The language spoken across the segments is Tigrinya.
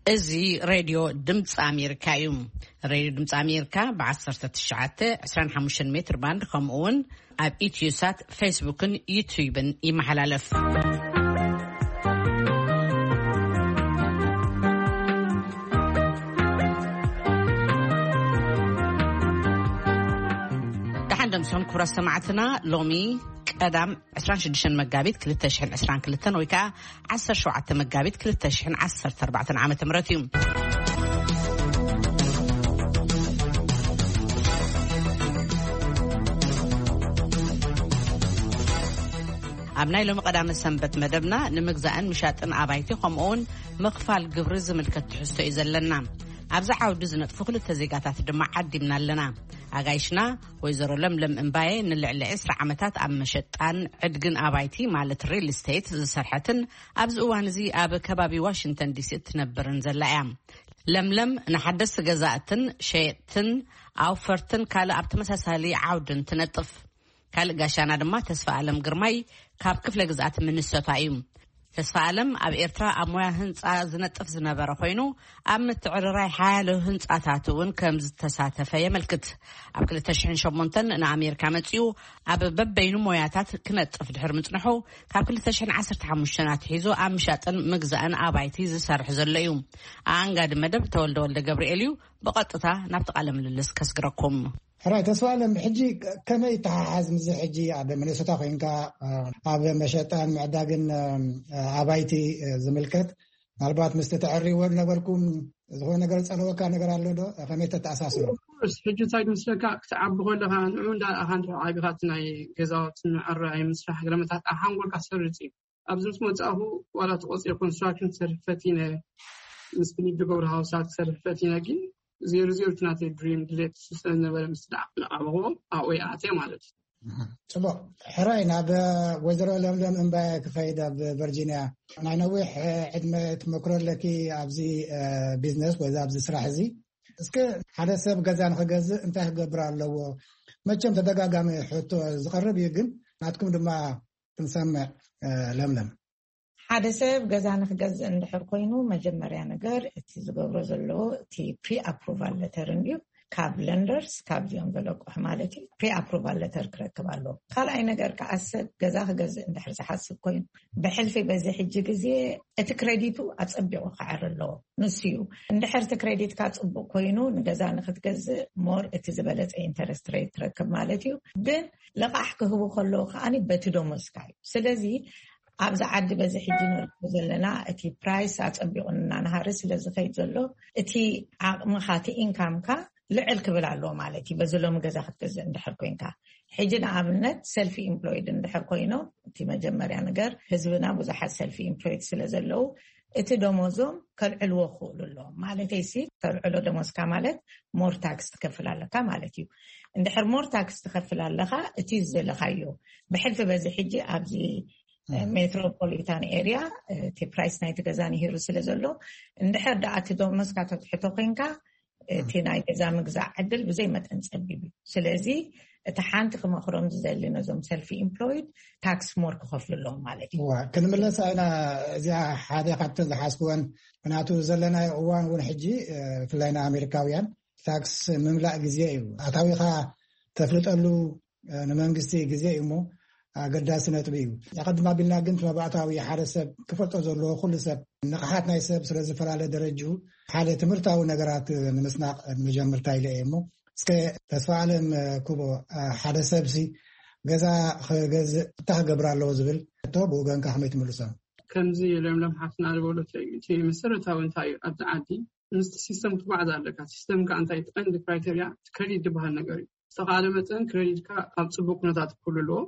እዚ ሬድዮ ድምፂ ኣሜሪካ እዩ። ሬድዮ ድምፂ ኣሜሪካ ብ19፣ 25 ሜትር ባንድ፣ ከምኡ እውን ኣብ ኢትዮሳት፣ ፌስቡክን ዩቱብን ይመሓላለፍ። ደሓን ደምስኹም ክቡራት ሰማዕትና። ሎሚ ቀዳም 26 መጋቢት 2022 ወይ ከዓ 17 መጋቢት 2014 ዓመተ ምህረት እዩ። ኣብ ናይ ሎሚ ቀዳመ ሰንበት መደብና ንምግዛእን ምሻጥን ኣባይቲ ከምኡውን ምኽፋል ግብሪ ዝምልከት ትሕዝቶ እዩ ዘለና። ኣብዚ ዓውዲ ዝነጥፉ ክልተ ዜጋታት ድማ ዓዲምና ኣለና። ኣጋይሽና ወይዘሮ ለምለም እምባየ ንልዕሊ 20 ዓመታት ኣብ መሸጣን ዕድግን ኣባይቲ ማለት ሪል ስቴት ዝሰርሐትን ኣብዚ እዋን እዚ ኣብ ከባቢ ዋሽንግተን ዲሲ እትነብርን ዘላ እያ። ለምለም ንሓደስቲ ገዛእትን ሸየጥትን ኣውፈርትን ካልእ ኣብ ተመሳሳሊ ዓውድን ትነጥፍ። ካልእ ጋሻና ድማ ተስፋ ኣለም ግርማይ ካብ ክፍለ ግዝኣት ሚኒሶታ እዩ። ተስፋ ኣለም ኣብ ኤርትራ ኣብ ሞያ ህንፃ ዝነጥፍ ዝነበረ ኮይኑ ኣብ ምትዕርራይ ሓያሎ ህንፃታት እውን ከም ዝተሳተፈ የመልክት። ኣብ 2008 ንኣሜሪካ መፂኡ ኣብ በበይኑ ሞያታት ክነጥፍ ድሕር ምፅንሑ ካብ 2015 ኣትሒዙ ኣብ ምሻጥን ምግዛእን ኣባይቲ ዝሰርሕ ዘሎ እዩ። ኣኣንጋዲ መደብ ተወልደ ወልደ ገብርኤል እዩ። ብቐጥታ ናብቲ ቃለ ምልልስ ከስግረኩም። ሕራይ ተስፋ ኣለም፣ ሕጂ ከመይ ይተሓሓዝ ምስዚ ሕጂ ኣብ ሚኒሶታ ኮይንካ ኣብ መሸጣን ምዕዳግን ኣባይቲ ዝምልከት? ምናልባት ምስቲ ተዕርይዎ ነበርኩም ዝኾነ ነገር ዝጸለወካ ነገር ኣሎ ዶ? ከመይ ተተኣሳስሮ? ኦፍኮርስ፣ ሕጂ እንታይ ዝመስለካ፣ ክትዓቢ ከለኻ ንዑ እንዳረኣኻ እንድሕር ዓቢኻ እቲ ናይ ገዛውቲ ምዕራይ ምስራሕ ገለመታት ኣብ ሓንጎልካ ሰርጽ እዩ። ኣብዚ ምስ መጻእኹ ዋላ ተቆጺረ ኮንስትራክሽን ክሰርሕ ፈቲነ፣ ምስ ፍሊፕ ዝገብሩ ሃውሳት ክሰርሕ ፈቲነ፣ ግን ዜሮ ዜሮ እቲ ናተይ ድሪም ድሌት እሱ ስለ ዝነበረ ምስ ደኣ ክነቓበቦ ኣብኡ ይኣትየ ማለት እዩ። ጽቡቕ። ሕራይ ናብ ወይዘሮ ለምለም እምባየ ክኸይድ ኣብ ቨርጂንያ። ናይ ነዊሕ ዕድመ ትመክሮ ኣለኪ ኣብዚ ቢዝነስ ወይ ኣብዚ ስራሕ እዚ። እስከ ሓደ ሰብ ገዛ ንኽገዝእ እንታይ ክገብር ኣለዎ? መቸም ተደጋጋሚ ሕቶ ዝቐርብ እዩ፣ ግን ናትኩም ድማ ክንሰምዕ። ለምለም። ሓደ ሰብ ገዛ ንኽገዝእ እንድሕር ኮይኑ መጀመርያ ነገር እቲ ዝገብሮ ዘለዎ እቲ ፕሪ ኣፕሩቫል ለተር እንድዩ፣ ካብ ለንደርስ ካብዚኦም ዘለቅሑ ማለት እዩ ፕሪ ኣፕሩቫል ለተር ክረክብ ኣለዎ። ካልኣይ ነገር ከዓ ሰብ ገዛ ክገዝእ እንድሕር ዝሓስብ ኮይኑ ብሕልፊ በዚ ሕጂ ግዜ እቲ ክሬዲቱ ኣጸቢቑ ክዓር ኣለዎ። ንሱ እዩ። እንድሕር እቲ ክሬዲትካ ጽቡቕ ኮይኑ ንገዛ ንክትገዝእ ሞር እቲ ዝበለጸ ኢንተረስት ሬት ትረክብ ማለት እዩ። ግን ለቓሕ ክህቡ ከለዉ ከዓኒ በቲ ደሞዝካ እዩ። ስለዚ ኣብዚ ዓዲ በዚ ሕጂ ንሪኦ ዘለና እቲ ፕራይስ ኣጸቢቑ እናናሃረ ስለ ዝኸይድ ዘሎ እቲ ዓቕምኻ እቲ ኢንካምካ ልዕል ክብል ኣለዎ ማለት እዩ። በዚ ሎሚ ገዛ ክትገዝእ እንድሕር ኮይንካ ሕጂ ንኣብነት ሰልፊ ኢምፕሎይድ እንድሕር ኮይኖም እቲ መጀመርያ ነገር ህዝብና ብዙሓት ሰልፊ ኢምፕሎይድ ስለ ዘለዉ እቲ ደሞዞም ከልዕልዎ ክኽእሉ ኣለዎም። ማለተይ ሲ ከልዕሎ ደሞዝካ ማለት ሞር ታክስ ትከፍል ኣለካ ማለት እዩ። እንድሕር ሞር ታክስ ትከፍል ኣለካ እቲ ዝደለካዮ ብሕልፊ በዚ ሕጂ ኣብዚ ሜትሮፖሊታን ኤርያ እቲ ፕራይስ ናይቲ ገዛ ንሂሩ ስለ ዘሎ እንድሕር ደኣ እቲ ደሞዝካ ተትሕቶ ኮይንካ እቲ ናይ ገዛ ምግዛእ ዕድል ብዘይ መጠን ጸቢብ እዩ። ስለዚ እቲ ሓንቲ ክመኽሮም ዝደሊ ነዞም ሰልፊ ኢምፕሎይድ ታክስ ሞር ክኸፍሉ ኣለዎም ማለት እዩ። እዋ ክንምለስ ኢና። እዚኣ ሓደ ካብተን ዝሓዝክወን ምክንያቱ ዘለናዮ እዋን እውን ሕጂ ብፍላይ ንኣሜሪካውያን ታክስ ምምላእ ግዜ እዩ። ኣታዊኻ ተፍልጠሉ ንመንግስቲ ግዜ እዩ እሞ ኣገዳሲ ነጥቢ እዩ። ኣቐድም ኣቢልና ግን እቲ መባእታዊ ሓደ ሰብ ክፈልጦ ዘለዎ ኩሉ ሰብ ንቕሓት ናይ ሰብ ስለ ዝፈላለ ደረጅኡ ሓደ ትምህርታዊ ነገራት ንምስናቕ መጀመርታ ኢለ እየ እሞ እስከ ተስፋ ኣለም ኩቦ ሓደ ሰብሲ ገዛ ክገዝእ እንታይ ክገብር ኣለዎ ዝብል ሕቶ ብወገንካ ከመይ ትምልሶ? ከምዚ ለምለም ሓፍትና ዝበለቶ እዩ። እቲ መሰረታዊ እንታይ እዩ ኣብዚ ዓዲ ምስቲ ሲስተም ክትጓዓዝ ኣለካ። ሲስተም ከዓ እንታይ እቲ ቀንዲ ክራይቴርያ እቲ ክሬዲት ዝበሃል ነገር እዩ። ዝተኻለ መጠን ክሬዲትካ ኣብ ፅቡቅ ኩነታት ክህሉ ኣለዎ።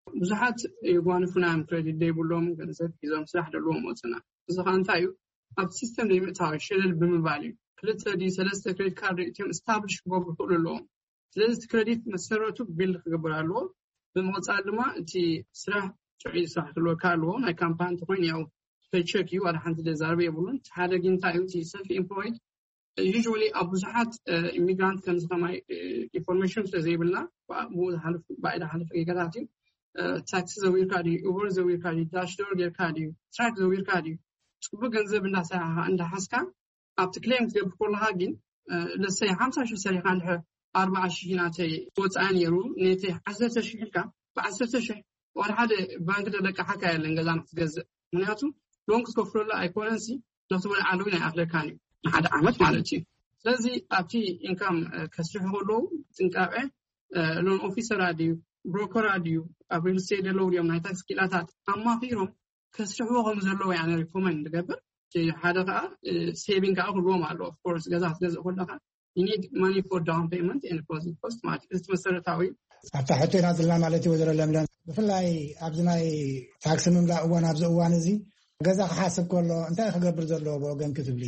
ብዙሓት የጓንፉና እዮም ክሬዲት ዘይብሎም ገንዘብ ሒዞም ስራሕ ደለዎም ወፅና። እዚ ከዓ እንታይ እዩ ኣብቲ ሲስተም ዘይምእታዊ ሸለል ብምባል እዩ። ክልተ ድዩ ሰለስተ ክሬዲት ካርድ ርእትዮም ስታብሊሽ ክገብሩ ይኽእሉ ኣለዎም። ስለዚ እቲ ክሬዲት መሰረቱ ቢልድ ክገብር ኣለዎ። ብምቕፃል ድማ እቲ ስራሕ ጥዑይ ስራሕ ክህልወካ ኣለዎ። ናይ ካምፓኒ እንተኮይኑ ያው ፔቸክ እዩ፣ ዋላ ሓንቲ ዘዛርብ የብሉን። እቲ ሓደ ግን እንታይ እዩ እቲ ሰልፍ ኤምፕሎይድ ዩዥዋሊ ኣብ ብዙሓት ኢሚግራንት ከምዚ ከማይ ኢንፎርሜሽን ስለ ዘይብልና ብኡ ዝሓልፍ ብኣይ ዝሓልፍ ጌጋታት እዩ። ታክሲ ዘዊርካ ድዩ፣ ኡበር ዘዊርካ ድዩ፣ ዳሽዶር ጌርካ ድዩ፣ ትራክ ዘዊርካ ድዩ፣ ፅቡቅ ገንዘብ እንዳሰራሕካ እንዳሓዝካ ኣብቲ ክሌም ክትገብር ከለካ ግን ለሰይ ሓምሳ ሽሕ ሰሪሕካ እንድሕር ኣርባዓ ሽሕ ናተይ ወፃኢ ነይሩ፣ ነተይ ዓሰርተ ሽሕ ኢልካ ብዓሰርተ ሽሕ ዋላ ሓደ ባንክ ተለቃሓካ የለን ገዛ ንክትገዝእ። ምክንያቱ ሎን ክትከፍለሉ ኣይኮነንሲ ነክትበልዓሉ እውን ኣይኣክለካን እዩ ንሓደ ዓመት ማለት እዩ። ስለዚ ኣብቲ ኢንካም ከስርሑ ከለዉ ጥንቃቄ፣ ሎን ኦፊሰር ድዩ፣ ብሮከር ድዩ፣ ኣብ ሪል ስቴት ዘለዉ ድዮም ናይ ታክስ ክኢላታት ኣማኺሮም ከስርሕዎ ከም ዘለዎ ያነ ሪኮመንድ ንገብር። ሓደ ከዓ ሴቪንግ ከዓ ክህልዎም ኣለዎ። ኦፍኮርስ ገዛ ክትገዝእ ከለካ you need money for down payment and closing cost ማለት እዩ። እቲ መሰረታዊ ኣብታ ሕቶ ኢና ዘለና ማለት እዩ። ወይዘሮ ለምለም፣ ብፍላይ ኣብዚ ናይ ታክሲ ምምላእ እዋን፣ ኣብዚ እዋን እዚ ገዛ ክሓስብ ከሎ እንታይ ክገብር ዘለዎ ብወገን ክትብሊ?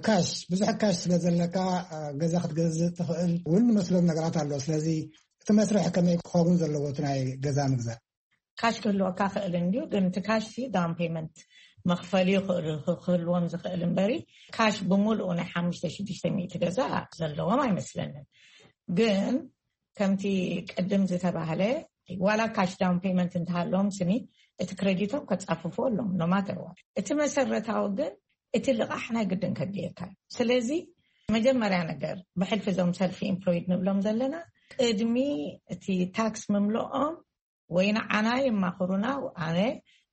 ካሽ፣ ብዙሕ ካሽ ስለ ዘለካ ገዛ ክትገዝእ ትኽእል እውን መስሎም ነገራት ኣሎ። ስለዚ እቲ መስርሕ ከመይ ክኸውን ዘለዎ እቲ ናይ ገዛ ምግዛእ? ካሽ ክህልወካ ክእል እንድዩ፣ ግን እቲ ካሽ ሲ ዳውን ፔመንት መኽፈሊ ክህልዎም ዝኽእል እምበሪ ካሽ ብምሉኡ ናይ ሓሙሽተ ሽዱሽተ ሚእቲ ገዛ ዘለዎም ኣይመስለንን። ግን ከምቲ ቅድም ዝተባህለ ዋላ ካሽ ዳውን ፔመንት እንተሃለዎም ስኒ እቲ ክሬዲቶም ከጻፍፉ ኣለዎም ኖማተርዋ። እቲ መሰረታዊ ግን እቲ ልቓሕ ናይ ግድን ከድልየካ እዩ። ስለዚ መጀመርያ ነገር ብሕልፊ እዞም ሰልፊ ኢምፕሎይድ ንብሎም ዘለና ቅድሚ እቲ ታክስ ምምልኦም ወይ ንዓና የማኽሩና። ኣነ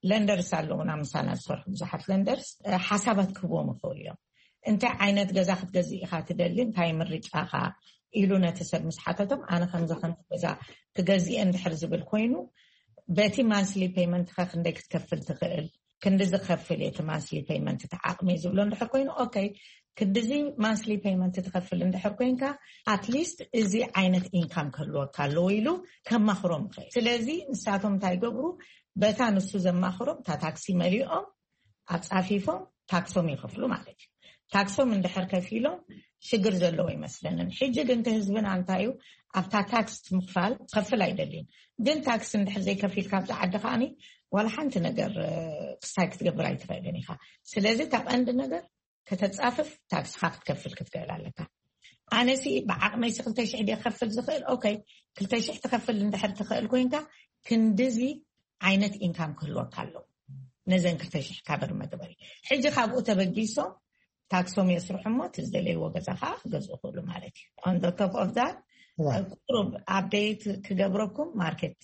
ለንደርስ ኣለዉና ምሳና ዝሰርሑ ብዙሓት ለንደርስ ሓሳባት ክህቦም ይኽእሉ እዮም። እንታይ ዓይነት ገዛ ክትገዝእ ኢኻ ትደሊ፣ እንታይ ምርጫኻ ኢሉ ነቲ ሰብ ምስ ሓተቶም ኣነ ከምዚ ከምዚ ገዛ ክገዝእ እንድሕር ዝብል ኮይኑ በቲ ማንስሊ ፔመንት ከ ክንደይ ክትከፍል ትኽእል፣ ክንዲ ዝከፍል እቲ ማንስሊ ፔመንት እቲ ዓቕሚ ዝብሎ እንድሕር ኮይኑ ኦኬ፣ ክንዲዚ ማንስሊ ፔመንት ትከፍል እንድሕር ኮይንካ ኣትሊስት እዚ ዓይነት ኢንካም ክህልወካ ኣለዎ ኢሉ ከማኽሮም ይኽእል። ስለዚ ንሳቶም እንታይ ይገብሩ? በታ ንሱ ዘማኽሮም እታ ታክሲ መሊኦም ኣጻፊፎም ታክሶም ይኸፍሉ ማለት እዩ። ታክሶም እንድሕር ከፊሎም ሽግር ዘለዎ ይመስለንን። ሕጂ ግን እቲ ህዝብና እንታይ እዩ ኣብታ ታክስ ምኽፋል ከፍል ኣይደልን። ግን ታክስ እንድሕር ዘይከፊል ካብዚ ዓዲ ከዓኒ ዋላ ሓንቲ ነገር ክሳይ ክትገብር ኣይትኽእልን ኢኻ። ስለዚ እታ ቀንዲ ነገር ከተጻፍፍ ታክስኻ ክትከፍል ክትክእል ኣለካ። ኣነሲ ብዓቕመይሲ ክልተ ሽሕ ድየ ክከፍል ዝኽእል? ኦኬ፣ ክልተ ሽሕ ትከፍል እንድሕር ትኽእል ኮይንካ ክንድዚ ዓይነት ኢንካም ክህልወካ ኣለዎ ነዘን ክልተ ሽሕ ካበር መግበሪ። ሕጂ ካብኡ ተበጊሶም ታክሶም የስርሑ እሞ እቲ ዝደለይዎ ገዛ ከዓ ክገዝኡ ክእሉ ማለት እዩ። On the top of that ቁሩብ ኣፕዴት ክገብረኩም ማርኬት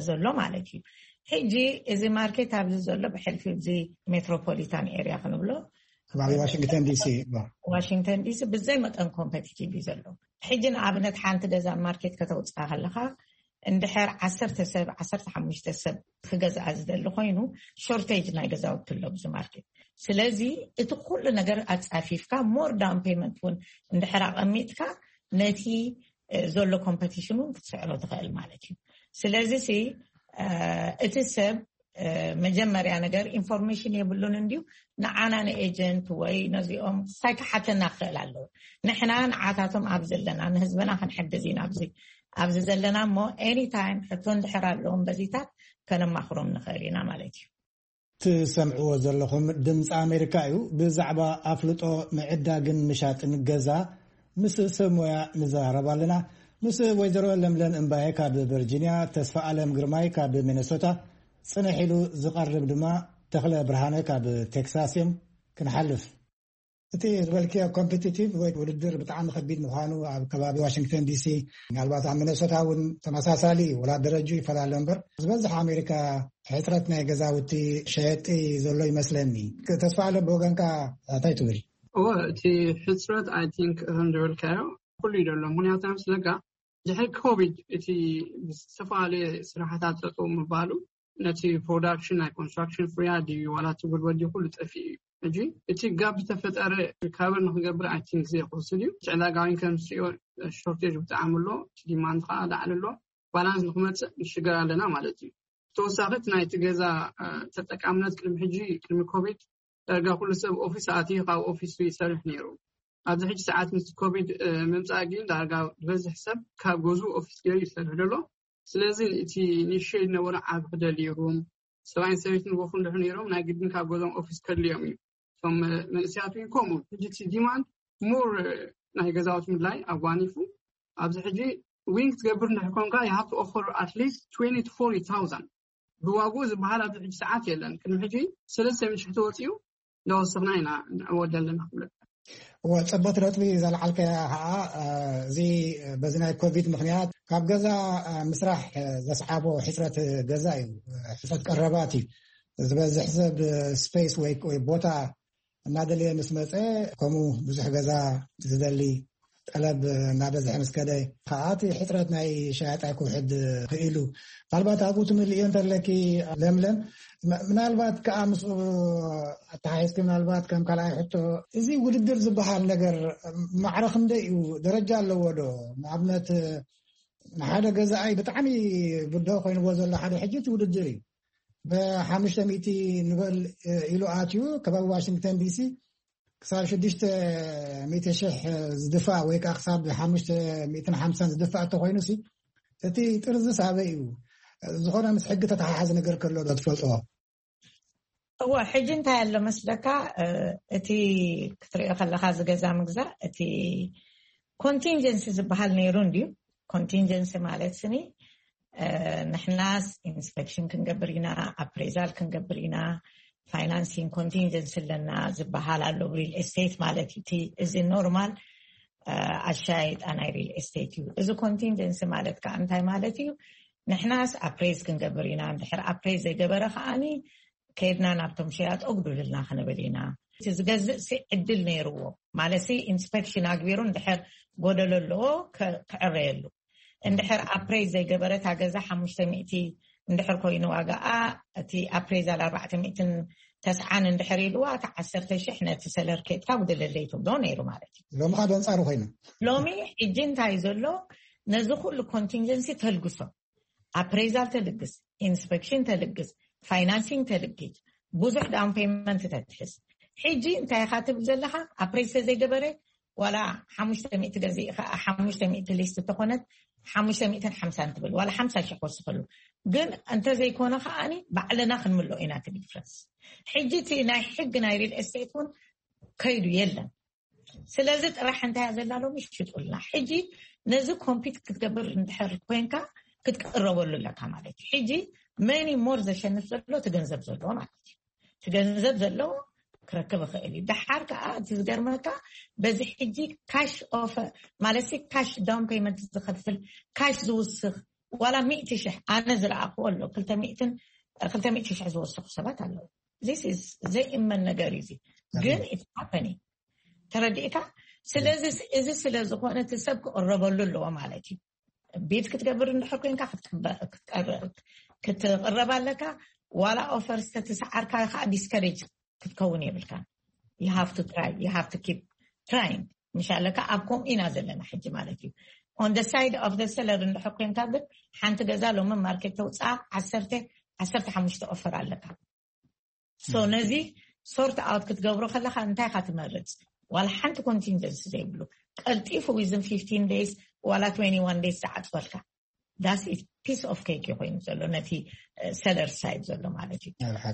ዘሎ ማለት እዩ። ሕጂ እዚ ማርኬት ኣብዚ ዘሎ ብሕልፊ እዚ ሜትሮፖሊታን ኤሪያ ክንብሎ ከባቢ ዋሽንግተን ዲሲ። ዋሽንግተን ዲሲ ብዘይ መጠን ኮምፐቲቲቭ እዩ ዘሎ። ሕጂ ንኣብነት ሓንቲ ገዛ ማርኬት ከተውፅኣ ከለካ እንድሕር ዓሰርተ ሰብ ዓሰርተ ሓሙሽተ ሰብ ክገዝኣ ዝደሊ ኮይኑ ሾርቴጅ ናይ ገዛውቲ ኣሎ ኣብዚ ማርኬት። ስለዚ እቲ ኩሉ ነገር ኣፃፊፍካ ሞር ዳውን ፔመንት እውን እንድሕር ኣቐሚጥካ ነቲ ዘሎ ኮምፐቲሽን እውን ክትስዕሮ ትኽእል ማለት እዩ። ስለዚ እቲ ሰብ መጀመርያ ነገር ኢንፎርሜሽን የብሉን እንድዩ ንዓና ንኤጀንት ወይ ነዚኦም ሳይ ክሓተና ክኽእል ኣለዎ። ንሕና ንዓታቶም ኣብ ዘለና ንህዝብና ክንሕግዝ ኢና ኣብዚ ኣብዚ ዘለና እሞ ኤኒታይም ሕቶ እንድሕር ኣለዎም በዚታት ከነማኽሮም ንኽእል ኢና ማለት እዩ። ትሰምዕዎ ዘለኹም ድምፂ ኣሜሪካ እዩ። ብዛዕባ ኣፍልጦ ምዕዳግን ምሻጥን ገዛ ምስ ሰብ ሞያ ንዘራረብ ኣለና። ምስ ወይዘሮ ለምለም እምባየ ካብ ቨርጂኒያ፣ ተስፋ ኣለም ግርማይ ካብ ሚነሶታ፣ ፅንሕ ኢሉ ዝቐርብ ድማ ተኽለ ብርሃነ ካብ ቴክሳስ እዮም። ክንሓልፍ እቲ ዝበልክዮ ኮምፒቲቲቭ ወይ ውድድር ብጣዕሚ ከቢድ ምዃኑ ኣብ ከባቢ ዋሽንግተን ዲሲ፣ ምናልባት ኣብ ሚነሶታ እውን ተመሳሳሊ እዩ። ወላ ደረጁ ይፈላለ እምበር ዝበዝሕ ኣሜሪካ ሕፅረት ናይ ገዛውቲ ሸየጢ ዘሎ ይመስለኒ። ተስፋ ኣለ ብወገንካ እንታይ ትብል? እወ፣ እቲ ሕፅረት ኣይ ቲንክ ከም ዝበልካዮ ኩሉ እዩ ዘሎ። ምክንያቱ ስለካ ድሕሪ ኮቪድ እቲ ዝተፈላለየ ስራሕታት ጠጠው ምባሉ ነቲ ፕሮዳክሽን ናይ ኮንስትራክሽን ፍርያት ድዩ ዋላ እቲ ጉልበት ድዩ ኩሉ ጠፊኡ እዩ። ሕጂ እቲ ጋብ ዝተፈጠረ ሪካቨር ንክገብር ኣይ ቲንክ ግዜ ክወስድ እዩ። እቲ ዕዳጋ እውን ከም ዝትሪኦ ሾርቴጅ ብጣዕሚ ኣሎ። እቲ ዲማንድ ከዓ ላዕሊ ኣሎ። ባላንስ ንክመፅእ ንሽገር ኣለና ማለት እዩ። ተወሳኺ እቲ ናይቲ ገዛ ተጠቃምነት ቅድሚ ሕጂ ቅድሚ ኮቪድ ዳርጋ ኩሉ ሰብ ኦፊስ ኣትዩ ካብ ኦፊሱ ይሰርሕ ነይሩ። ኣብዚ ሕጂ ሰዓት ምስ ኮቪድ ምምፃእ ግን ዳርጋ ዝበዝሕ ሰብ ካብ ገዝኡ ኦፊስ ገይሩ ይሰርሕ ዘሎ። ስለዚ እቲ ኒሽ ዝነበሮ ዓቢ ክደሊ ሩም ሰብኣይን ሰበይትን ወፉ እንድሕር ነይሮም ናይ ግድን ካብ ገዝኦም ኦፊስ ከድልዮም እዩ። እቶም መንእሰያት እውን ከምኡ ሕጂ እቲ ዲማንድ ሞር ናይ ገዛውቲ ምድላይ ኣጓኒፉ ኣብዚ ሕጂ ዊንግ ትገብር እንድሕር ኮንካ you have to offer at least twenty to forty thousand ብዋግኡ ዝበሃል ኣብዚ ሕጂ ሰዓት የለን። ቅድሚ ሕጂ ሰለስተ ሚእቲ ሽሕ ተወፂኡ እንዳወሰኽና ኢና ንዕወት ዘለና ክብለካ። እወ፣ ጽቡቅ ነጥቢ ዘልዓልከ ከዓ፣ እዚ በዚ ናይ ኮቪድ ምክንያት ካብ ገዛ ምስራሕ ዘስዓቦ ሕፅረት ገዛ እዩ። ሕፅረት ቀረባት እዩ። ዝበዝሕ ሰብ ስፔስ ወይ ቦታ እናደለየ ምስ መፀ፣ ከምኡ ብዙሕ ገዛ ዝደሊ ጠለብ እናበዝሐ ምስ ከደ ከዓ እቲ ሕፅረት ናይ ሸያጣይ ክውሕድ ክኢሉ። ምናልባት ኣብኡ ትምልእዮ እንተለኪ ለምለም፣ ምናልባት ከዓ ምስኡ ኣተሓሒዝኪ ምናልባት ከም ካልኣይ ሕቶ፣ እዚ ውድድር ዝበሃል ነገር ማዕረ ክንደይ እዩ? ደረጃ ኣለዎ ዶ? ንኣብነት ንሓደ ገዛኣይ ብጣዕሚ ብድሆ ኮይንዎ ዘሎ ሓደ ሕጂ እቲ ውድድር እዩ። ብሓሙሽተ ሚእቲ ንበል ኢሉ ኣትዩ ከባቢ ዋሽንግተን ዲሲ ክሳብ ሽዱሽተ ሚእቲ ሽሕ ዝድፋእ ወይ ከዓ ክሳብ ሓሙሽተ ሚእትን ሓምሳን ዝድፋእ እንተኮይኑ ሲ እቲ ጥርዝስ ኣበይ እዩ? ዝኾነ ምስ ሕጊ ተተሓሓዝ ነገር ከሎ ዶ ትፈልጥዎ? እወ፣ ሕጂ እንታይ ኣሎ መስለካ፣ እቲ ክትሪኦ ከለካ ዝገዛ ምግዛእ እቲ ኮንቲንጀንሲ ዝበሃል ነይሩ እንድዩ። ኮንቲንጀንሲ ማለት ስኒ ንሕናስ ኢንስፔክሽን ክንገብር ኢና፣ ኣፕሬዛል ክንገብር ኢና፣ ፋይናንሲንግ ኮንቲንጀንሲ ኣለና ዝበሃል ኣሎ። ሪል ኤስቴት ማለት እዩ። እዚ ኖርማል ኣሻይጣ ናይ ሪል ኤስቴት እዩ። እዚ ኮንቲንጀንሲ ማለት ከዓ እንታይ ማለት እዩ? ንሕናስ ኣፕሬዝ ክንገብር ኢና፣ እንድሕር ኣፕሬዝ ዘይገበረ ከዓኒ ከድና ናብቶም ሸያጥ ኣጉዱልልና ክንብል ኢና። እቲ ዝገዝእ ሲ ዕድል ነይርዎ ማለት ሲ ኢንስፔክሽን ኣግቢሩ እንድሕር ጎደሎ ኣለዎ ክዕረየሉ። እንድሕር ኣፕሬዝ ዘይገበረት ኣገዛ ሓሙሽተ ሚእቲ እንድሕር ኮይኑ ዋጋኣ እቲ ኣፕሬዛል ኣርባዕተ ሚእትን ተስዓን እንድሕር ኢልዋ እቲ ዓሰርተ ሽሕ ነቲ ሰለር ኬድካ ጉደለለይ ትብሎ ነይሩ ማለት እዩ። ሎሚ ካብ ኣንጻሩ ኮይኑ ሎሚ ሕጂ እንታይ ዘሎ ነዚ ኩሉ ኮንቲንጀንሲ ተልግሶ ኣፕሬዛል ተልግስ፣ ኢንስፔክሽን ተልግስ፣ ፋይናንሲንግ ተልግጅ፣ ብዙሕ ዳውን ፔመንት ተትሕዝ። ሕጂ እንታይ ኢኻ ትብል ዘለኻ? ኣፕሬዝ ተዘይገበረ ዋላ ሓሙሽተ ሚእቲ ገዚእ ከዓ ሓሙሽተ ሚእቲ ሊስት እንተኾነት ሓሙሽተ ሚእትን ሓምሳን ትብል ዋላ ሓምሳ ሽሕ ክወስኸሉ። ግን እንተዘይኮነ ከዓኒ ባዕልና ክንምልኦ ኢና እቲ ዲፍረንስ። ሕጂ እቲ ናይ ሕግ ናይ ሪል ኤስቴት እውን ከይዱ የለን። ስለዚ ጥራሕ እንታይ እያ ዘላ ሎሚ ሽጡልና። ሕጂ ነዚ ኮምፒት ክትገብር እንድሕር ኮይንካ ክትቅረበሉ ኣለካ ማለት እዩ። ሕጂ መኒ ሞር ዘሸንፍ ዘሎ እቲ ገንዘብ ዘለዎ ማለት እዩ። እቲ ገንዘብ ዘለዎ ክረክብ ይኽእል እዩ። ደሓር ከዓ እቲ ዝገርመካ በዚ ሕጂ ካሽ ኦፈር ማለት ሲ ካሽ ዳውን ፔመንት ዝኸፍል ካሽ ዝውስኽ ዋላ ሚእቲ ሽሕ ኣነ ዝረኣኽዎ ኣሎ ክልተ ሚእትን ክልተ ሚእቲ ሽሕ ዝወሰኹ ሰባት ኣለዉ። This is ዘይእመን ነገር እዩ። እዚ ግን it's happening ተረዲእካ። ስለዚ እዚ ስለ ዝኾነ እቲ ሰብ ክቕረበሉ ኣለዎ ማለት እዩ። ቢድ ክትገብር እንድሕር ኮይንካ ክትቅረብ ኣለካ። ዋላ ኦፈር ዝተተሰዓርካ ከዓ ዲስከሬጅ ክትከውን የብልካ። You have to try, you have to keep trying ምሽ ኣለካ። ኣብ ከምኡ ኢና ዘለና ሕጂ ማለት እዩ። On the side of the seller እንድሕር ኮይንካ ግን ሓንቲ ገዛ ሎሚ ማርኬት ተውፅኣ ዓሰርተ ዓሰርተ ሓሙሽተ ኦፈር ኣለካ። So ነዚ ሶርት ኣውት ክትገብሮ ከለካ እንታይ ኢካ ትመርፅ? ዋላ ሓንቲ ኮንቲንጀንሲ ዘይብሉ ቀልጢፉ within fifteen days ዋላ twenty one days ዝዓፅወልካ that's it piece of cake ኮይኑ ዘሎ ነቲ ሰለር ሳይድ ዘሎ ማለት እዩ።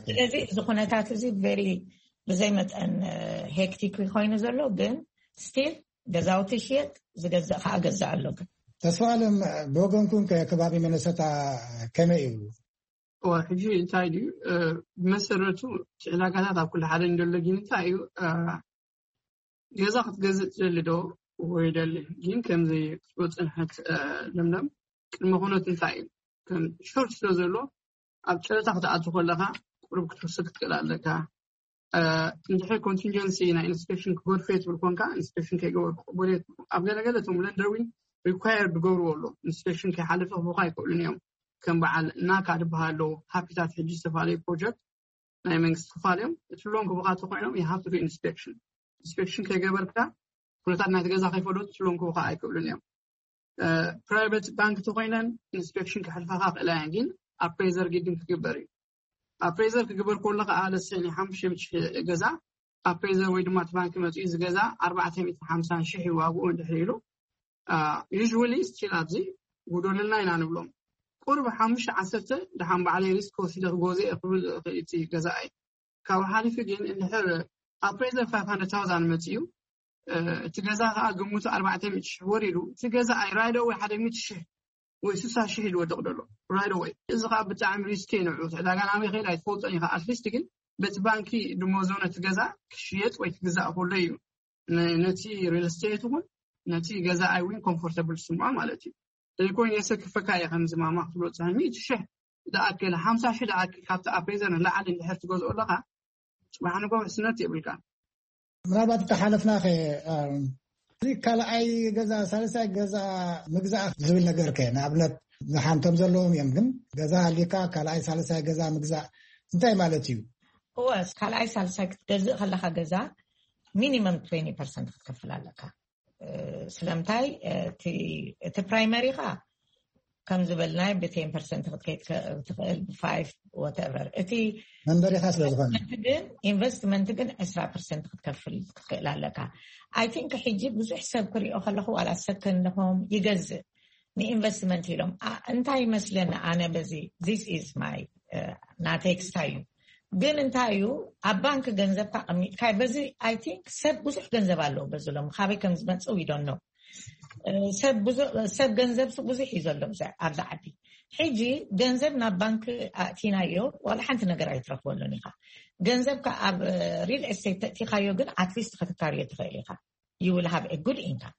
ስለዚ እዚ ኩነታት እዚ very ብዘይ መጠን ሄክቲክ ኮይኑ ዘሎ ግን ስቲል ገዛውቲ ሽየጥ ዝገዝእ ከዓ ገዛ ኣሎ። ግን ተስፋ ኣለም ብወገንኩም ከባቢ መነሰታ ከመይ እዩ? ሕጂ እንታይ ድዩ ብመሰረቱ ዕዳጋታት ኣብ ኩሉ ሓደ እንደሎ ግን እንታይ እዩ ገዛ ክትገዝእ ትደሊ ዶ ወይ ደሊ ግን ከምዚ ክትጎ ፅንሐት ለምለም ቅድመ ኩነት እንታይ እዩ ከም ሾርት ስለ ዘሎ ኣብ ጨረታ ክትኣቱ ከለካ ቁሩብ ክትወስድ ክትክእል ኣለካ። እንድሕር ኮንቲንጀንሲ ናይ ኢንስፔክሽን ክጎድፈ ትብል ኮንካ ኢንስፔክሽን ከይገበርኩ ቅቡል እየ ትብሉ። ኣብ ገለገለ እቶም ለንደር እውን ሪኳየርድ ገብርዎ ኣሎ ኢንስፔክሽን ከይሓለፈ ክህቡካ ኣይክእሉን እዮም። ከም በዓል ናካ ዝበሃሉ ሃፒታት ሕጂ ዝተፈላለዩ ፕሮጀክት ናይ መንግስቲ ክፋል እዮም። እቲ ሎን ክህቡካ ተኮይኖም you have to do inspection። ኢንስፔክሽን ከይገበርካ ኩነታት ናይቲ ገዛ ከይፈለጡ እቲ ሎን ክህቡካ ኣይክእሉን እዮም። ፕራይቨት ባንክ ተኮይነን ኢንስፔክሽን ክሕልፋካ ክእላ እየን፣ ግን ኣፕሬዘር ግድን ክግበር እዩ። ኣፕሬዘር ክግበር ከሎ ከዓ ለሰኒ ሓሙሽተ ሚእቲ ሺሕ ገዛ ኣፕሬዘር ወይ ድማ እቲ ባንክ መፂኡ እዚ ገዛ ኣርባዕተ ሚእትን ሓምሳን ሺሕ እዩ ዋግኡ እንድሕር ኢሉ ዩዥዋሊ ስቲል ኣብዚ ጉደሉልና ኢና ንብሎም። ቁሩብ ሓሙሽተ ዓሰርተ ደሓን ባዕለይ ሪስክ ወሲደ ክገዝኦ እየ ክብል ይኽእል እቲ ገዛኣይ። ካብኡ ሓሊፉ ግን እንድሕር ኣፕሬዘር ፋይቭ ሃንድረድ ታውዛንድ መፂኡ እቲ ገዛ ከዓ ግምቱ ኣርባዕተ ሚእቲ ሽሕ ወሪዱ እቲ ገዛኣይ ራይት ኣወይ ሓደ ሚእቲ ሽሕ ወይ ስሳ ሽሕ እዩ ዝወድቕ ዘሎ ራይት ኣወይ። እዚ ከዓ ብጣዕሚ ሪስኪ እዩ ንዕኡ። እቲ ዕዳጋ ናበይ ከይድ ኣይትፈልጦን ኢኻ። ኣትሊስት ግን በቲ ባንኪ ድሞዞ ነቲ ገዛ ክሽየጥ ወይ ክግዛእ ከሎ እዩ ነ- ነቲ ሪል ስቴት እውን ነቲ ገዛኣይ እውን ኮምፎርተብል ዝስምዖ ማለት እዩ። ዘይኮይኑ የሰክፈካ እየ። ከምዚ ማማ ክትብሎ ትሰምዒ፣ እቲ ሽሕ ዝኣክል፣ ሓምሳ ሽሕ ዝኣክል ካብቲ ኣፕሬዘር ንላዕሊ እንድሕር ትገዝኦ ኣለኻ፣ ጽባሕ ንግሆ ውሕስነት የብልካን። ምናልባት እተሓለፍናኸ እዚ ካልኣይ ገዛ፣ ሳልሳይ ገዛ ምግዛእ ዝብል ነገር ከ? ንኣብነት ዝሓንቶም ዘለዎም እዮም፣ ግን ገዛ ሃሊካ ካልኣይ ሳልሳይ ገዛ ምግዛእ እንታይ ማለት እዩ? እወ፣ ካልኣይ ሳልሳይ ክትገዝእ ከለካ ገዛ ሚኒመም ትዌንቲ ፐርሰንት ክትከፍል ኣለካ። ስለምንታይ? እቲ ፕራይመሪኻ ከም ዝበልናይ ብ ቴን ፐርሰንት ክትከይድ ትኽእል፣ ብ ፋይቭ፣ ወተቨር። እቲ መንበሪኻ ስለ ዝኾነ ግን ኢንቨስትመንት ግን ዕስራ ፐርሰንት ክትከፍል ክትክእል ኣለካ። ኣይ ቲንክ ሕጂ ብዙሕ ሰብ ክሪኦ ከለኹ ዋላ ሰከንድሆም ይገዝእ ንኢንቨስትመንት ኢሎም። እንታይ ይመስለኒ ኣነ በዚ this is my ናተይ ክስታይ እዩ። ግን እንታይ እዩ ኣብ ባንክ ገንዘብካ ቀሚጥካ በዚ ኣይ ቲንክ ሰብ ብዙሕ ገንዘብ ኣለዎ በዚ ሎም ካበይ ከም ዝመፅእ ይዶኖ። ሰብ ገንዘብ ብዙሕ እዩ ዘሎ ኣብዛ ዓዲ። ሕጂ ገንዘብ ናብ ባንክ ኣእቲናዮ ዋላ ሓንቲ ነገር ኣይትረክበሉን ኢኻ። ገንዘብካ ኣብ ሪል ኤስቴት ተእቲኻዮ ግን ኣትሊስት ክትካርዮ ትኽእል ኢኻ። You will have a good income።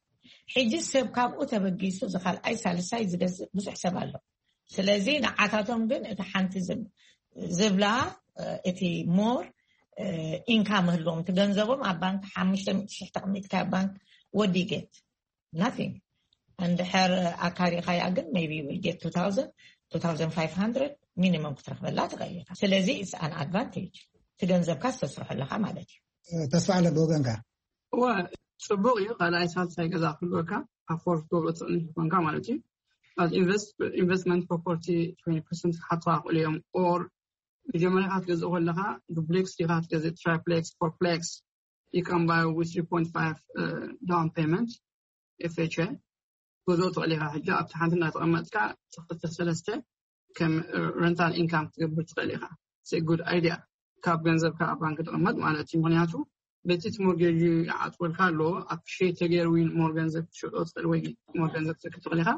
ሕጂ ሰብ ካብኡ ተበጊሱ ዝካልኣይ ሳልሳይ ዝገዝእ ብዙሕ ሰብ ኣሎ። ስለዚ ንዓታቶም ግን እቲ ሓንቲ ዝብላ እቲ ሞር ኢንካም ህልዎም፣ እቲ ገንዘቦም ኣብ ባንክ ሓሙሽተ ሚእቲ ሽሕ ተቐሚጥካ ኣብ ባንክ ወዲ ጌት ናቲንግ። እንድሕር ኣካሪኻያ ግን maybe will get two thousand, two thousand five hundred ሚኒመም ክትረክበላ ትኽእል ኢኻ። ስለዚ it's an advantage፣ እቲ ገንዘብካ ዝተስርሖ ኣለካ ማለት እዩ። ተስፋ ኣለ ብወገንካ እወ፣ ጽቡቕ እዩ። ካልኣይ ሳልሳይ ገዛ ክህልወካ ኣፎርድ ክገብሮ ትኽእል ኮንካ ማለት እዩ። ኢንቨስትመንት ፕሮፐርቲ ትወንቲ ፐርሰንት ክሓትዋ ክኽእሉ እዮም። ኦር መጀመርያ ክትገዝእ ከለካ ዱፕሌክስ ዲካ ክትገዝእ፣ ትራይፕሌክስ፣ ፎርፕሌክስ፣ you can buy with three point five down payment, ኤፍ ኤች ኤ ክትገዝኦ ትኽእል ኢኻ። ሕጂ ኣብቲ ሓንቲ እናተቐመጥካ ክልተ ሰለስተ ከም ረንታል ኢንካም ክትገብር ትኽእል ኢኻ። ጉድ ኣይድያ፣ ካብ ገንዘብካ ኣብ ባንክ ትቕመጥ ማለት እዩ። ምክንያቱ በቲ እቲ ሞርጌጅ ይዓፅወልካ ኣሎ፣ ኣፕሪሼት ተገይሩ ዊን ሞር ገንዘብ ክትሸጦ ትኽእል ወይ ሞር ገንዘብ ክትረክብ ትኽእል ኢኻ።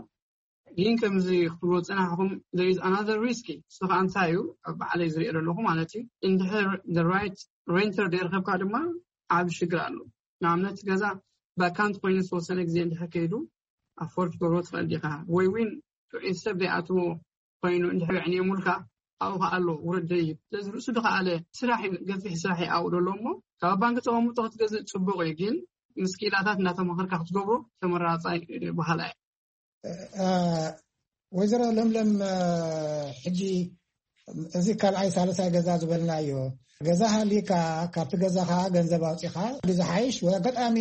ግን ከምዚ ክትብሎ ዝፀናሕኩም there is another risk። እሱ ከዓ እንታይ እዩ? ኣብ ባዕለይ ዝሪኦ ዘለኹ ማለት እዩ። እንድሕር the right renter ዘይረኸብካ ድማ ዓብ ሽግር ኣሎ። ንኣብነት ገዛ ቫካንት ኮይኑ ዝተወሰነ ግዜ እንድሕር ከይዱ ኣፎርድ ክትገብሮ ትኽእል ዲኻ? ወይ ዊን ጥዑይ ሰብ ዘይኣትዎ ኮይኑ እንድሕር የዕንየሙልካ ኣብኡ ከዓ ኣሎ ውረድ ደይብ። ስለዚ ርእሱ ዝኸኣለ ስራሕ እዩ፣ ገፊሕ ስራሕ እዩ ኣብኡ ዘሎ እሞ ካብ ባንክ ተቐምጦ ክትገዝእ ፅቡቕ እዩ። ግን ምስ ክኢላታት እናተማኸርካ ክትገብሮ ተመራፃይ በሃላይ እየ። ወይዘሮ ለምለም፣ ሕጂ እዚ ካልኣይ ሳልሳይ ገዛ ዝበልናዮ ገዛ ሃሊካ ካብቲ ገዛኻ ገንዘብ ኣውፂኻ ዝሓይሽ ወይ ኣጋጣሚ